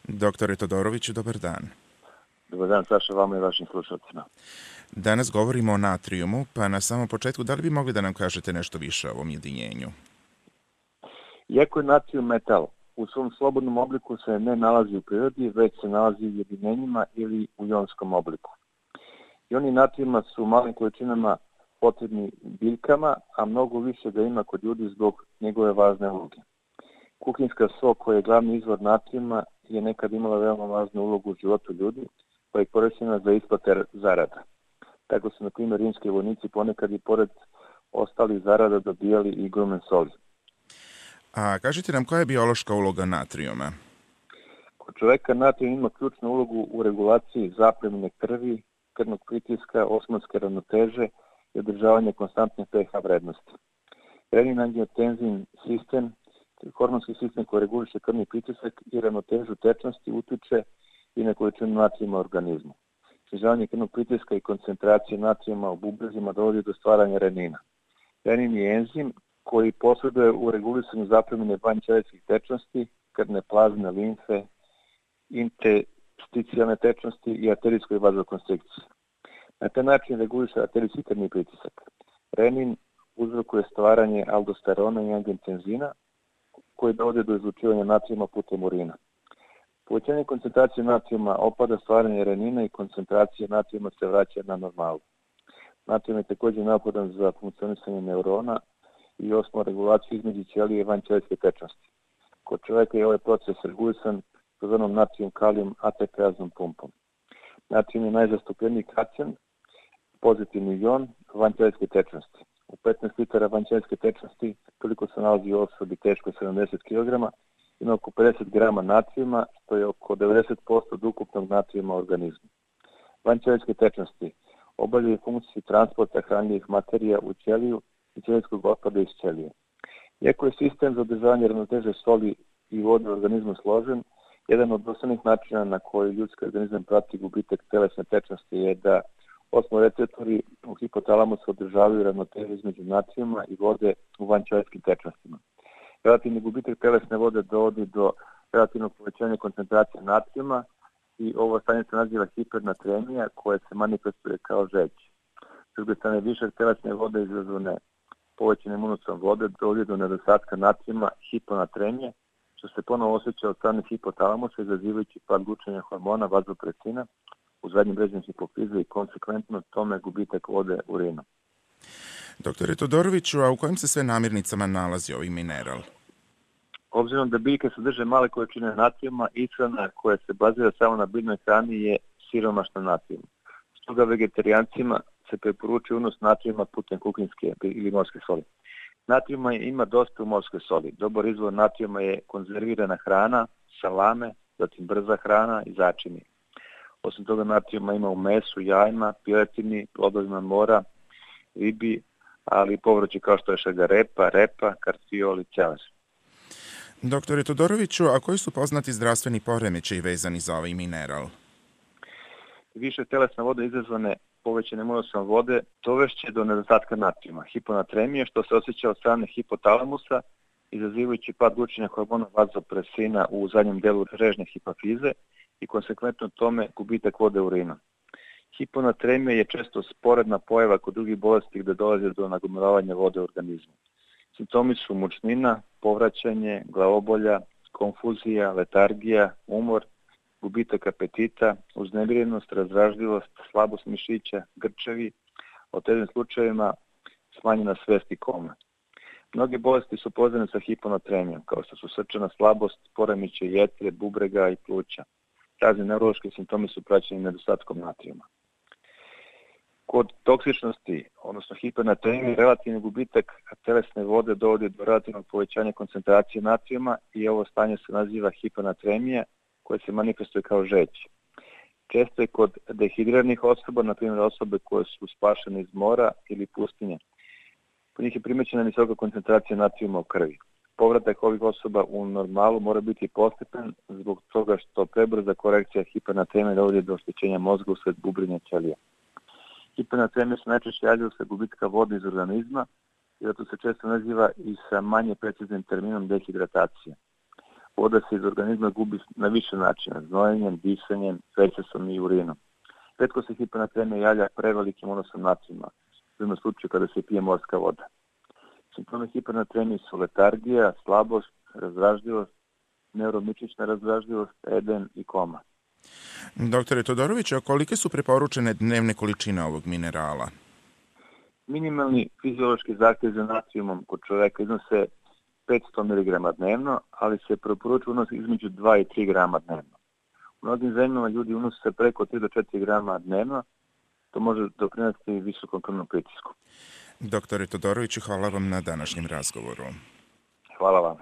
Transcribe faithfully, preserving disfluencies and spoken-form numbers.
Doktore Todoroviću, dobar dan. Dobar dan, Saša, vama i vašim slušalcima. Danas govorimo o natrijumu, pa na samom početku da li bi mogli da nam kažete nešto više o ovom jedinjenju? Iako je natrijum metal, u svom slobodnom obliku se ne nalazi u prirodi, već se nalazi u jedinjenjima ili u jonskom obliku. Ioni natrijuma su u malim količinama potrebni biljkama, a mnogo više ga ima kod ljudi zbog njegove važne uloge. Kuhinjska so, koja je glavni izvor natrijuma, je nekad imala veoma važnu ulogu u životu ljudi, pa je korišćena za isplate zarada. Tako su, na primjer, rimski vojnici ponekad i pored ostalih zarada dobijali i grumen soli. A kažite nam, koja je biološka uloga natrijuma? Kod čoveka natrijum ima ključnu ulogu u regulaciji zapremine krvi, krvnog pritiska, osmoljske ravnoteže i održavanje konstantne pH vrednosti. Renin-angiotenzin sistem, hormonski sistem koji reguliše krvni pritisak i ravnotežu tečnosti, utiče i na količinu natrijuma u organizmu. Snižavanje krvnog pritiska i koncentracije natrijuma u bubrezima dovodi do stvaranja renina. Renin je enzim koji posreduje u regulisanju zapremine vanćelijskih tečnosti, krvne plazme, limfe, intersticijalne tečnosti i arterijskoj vazokonstrikciji. Na taj način reguliše arterijski krvni pritisak. Renin uzrokuje stvaranje aldosterona i angiotenzina koji dovode do izlučivanja natrijuma putem urina. Povećanje koncentracije natrijuma opada stvaranje renina i koncentracija natrijuma se vraća na normalu. Natrijum je također neophodan za funkcionisanje neurona i osnovu regulaciju između ćelije i vanćelijske tečnosti. Kod čovjeka je ovaj proces regulisan takozvanom natrijum kalijum atepeaznom pumpom. Natrijum je najzastupljeniji cation, pozitivni ion vanćelijske tečnosti. U petnaest litara vanćelijske tečnosti, toliko se nalazi u osobi teško sedamdeset kilograma, ima oko pedeset grama natrijuma, što je oko devedeset posto od ukupnog natrijuma u organizmu. Vanćelijske tečnosti obavljaju funkciju transporta hranljivih materija u ćeliju i ćelijskog otpada iz ćelije. Iako je sistem za održavanje ravnoteže soli i vode u organizmu složen, jedan od osnovnih načina na koji ljudski organizam prati gubitak telesne tečnosti je da osmoreceptori u hipotalamusu održavaju ravnotežu između natrijuma i vode u vanćelijskim tečnostima. Relativni gubitak telesne vode dovodi do relativnog povećanja koncentracije natrijuma i ovo stanje se naziva hipernatremija koja se manifestuje kao žeđ. S druge strane, višak telesne vode izazvane povećanim unosom vode dovodi do nedostatka natrijuma, hiponatremije, što se ponovo osjeća od strane hipotalamusa izazivajući pad gučenja hormona vazopresina u zadnjim režim hipofize i konsekventno tome gubitak vode urinom. Doktore Todoroviću, a u kojim se sve namirnicama nalazi ovaj mineral? Obzirom da biljke sadrže male količine natrijuma, ishrana koja se bazira samo na biljnoj hrani je siromašna natrijum. Stoga vegetarijancima se preporučuje unos natrijuma putem kuhinjske ili morske soli. Natrijuma ima dosta u morskoj soli. Dobar izvor natrijuma je konzervirana hrana, salame, zatim brza hrana i začini. Osim toga natrijuma ima u mesu, jajima, piletini, plodovima mora, ribi, ali i povrće kao što je šargarepa, repa, karfiol i ćelas. Doktore Todoroviću, a koji su poznati zdravstveni poremećaji vezani za ovaj mineral? Više telesne vode izazvane povećanim unosom vode dovešće do nedostatka natrijuma, hiponatremije, što se osjeća od strane hipotalamusa, izazivajući pad gučenja hormona vazopresina u zadnjem delu režnje hipofize i konsekventno tome gubitak vode urina. Hiponatremija je često sporedna pojava kod drugih bolesti gde dolazi do nagomilavanja vode u organizmu. Simptomi su mučnina, povraćanje, glavobolja, konfuzija, letargija, umor, gubitak apetita, uznemirenost, razdražljivost, slabost mišića, grčevi, u težim slučajevima smanjena svest i koma. Mnoge bolesti su povezane sa hiponatremijom, kao što su srčana slabost, poremećaj jetre, bubrega i pluća. Razni neurološki simptomi su praćeni nedostatkom natrijuma. Kod toksičnosti, odnosno hipernatremije, relativni gubitak telesne vode dovodi do relativnog povećanja koncentracije natrijuma i ovo stanje se naziva hipernatremija koja se manifestuje kao žeđ. Često je kod dehidriranih osoba, na primjer osobe koje su spašene iz mora ili pustinje. Kod njih je primećena visoka koncentracija natrijuma u krvi. Povratak ovih osoba u normalu mora biti postepen zbog toga što prebrza korekcija hipernatremije dovodi do oštećenja mozga usled bubrenja ćelija. Hipernatremija se najčešće javlja usled gubitka vode iz organizma i zato se često naziva i sa manje preciznim terminom dehidratacija. voda se iz organizma gubi na više načina, znojenjem, disanjem, fecesom i urinom. Retko se hiponatremija javlja prevelikim unosom natrijuma, u slučaju kada se pije morska voda. Simptomi hiponatremije su letargija, slabost, razdražljivost, neuromišićna razdražljivost, edem i koma. Doktore Todorović, a kolike su preporučene dnevne količine ovog minerala? Minimalni fiziološki zahtjev za natrijumom kod čoveka iznose petsto miligrama dnevno, ali se preporučuje unos između dva i tri grama dnevno. U mnogim zemljama ljudi unose preko tri do četiri grama dnevno, to može doprinesti visokom krvnom pritisku. Doktore Todoroviću, hvala vam na današnjem razgovoru. Hvala vam.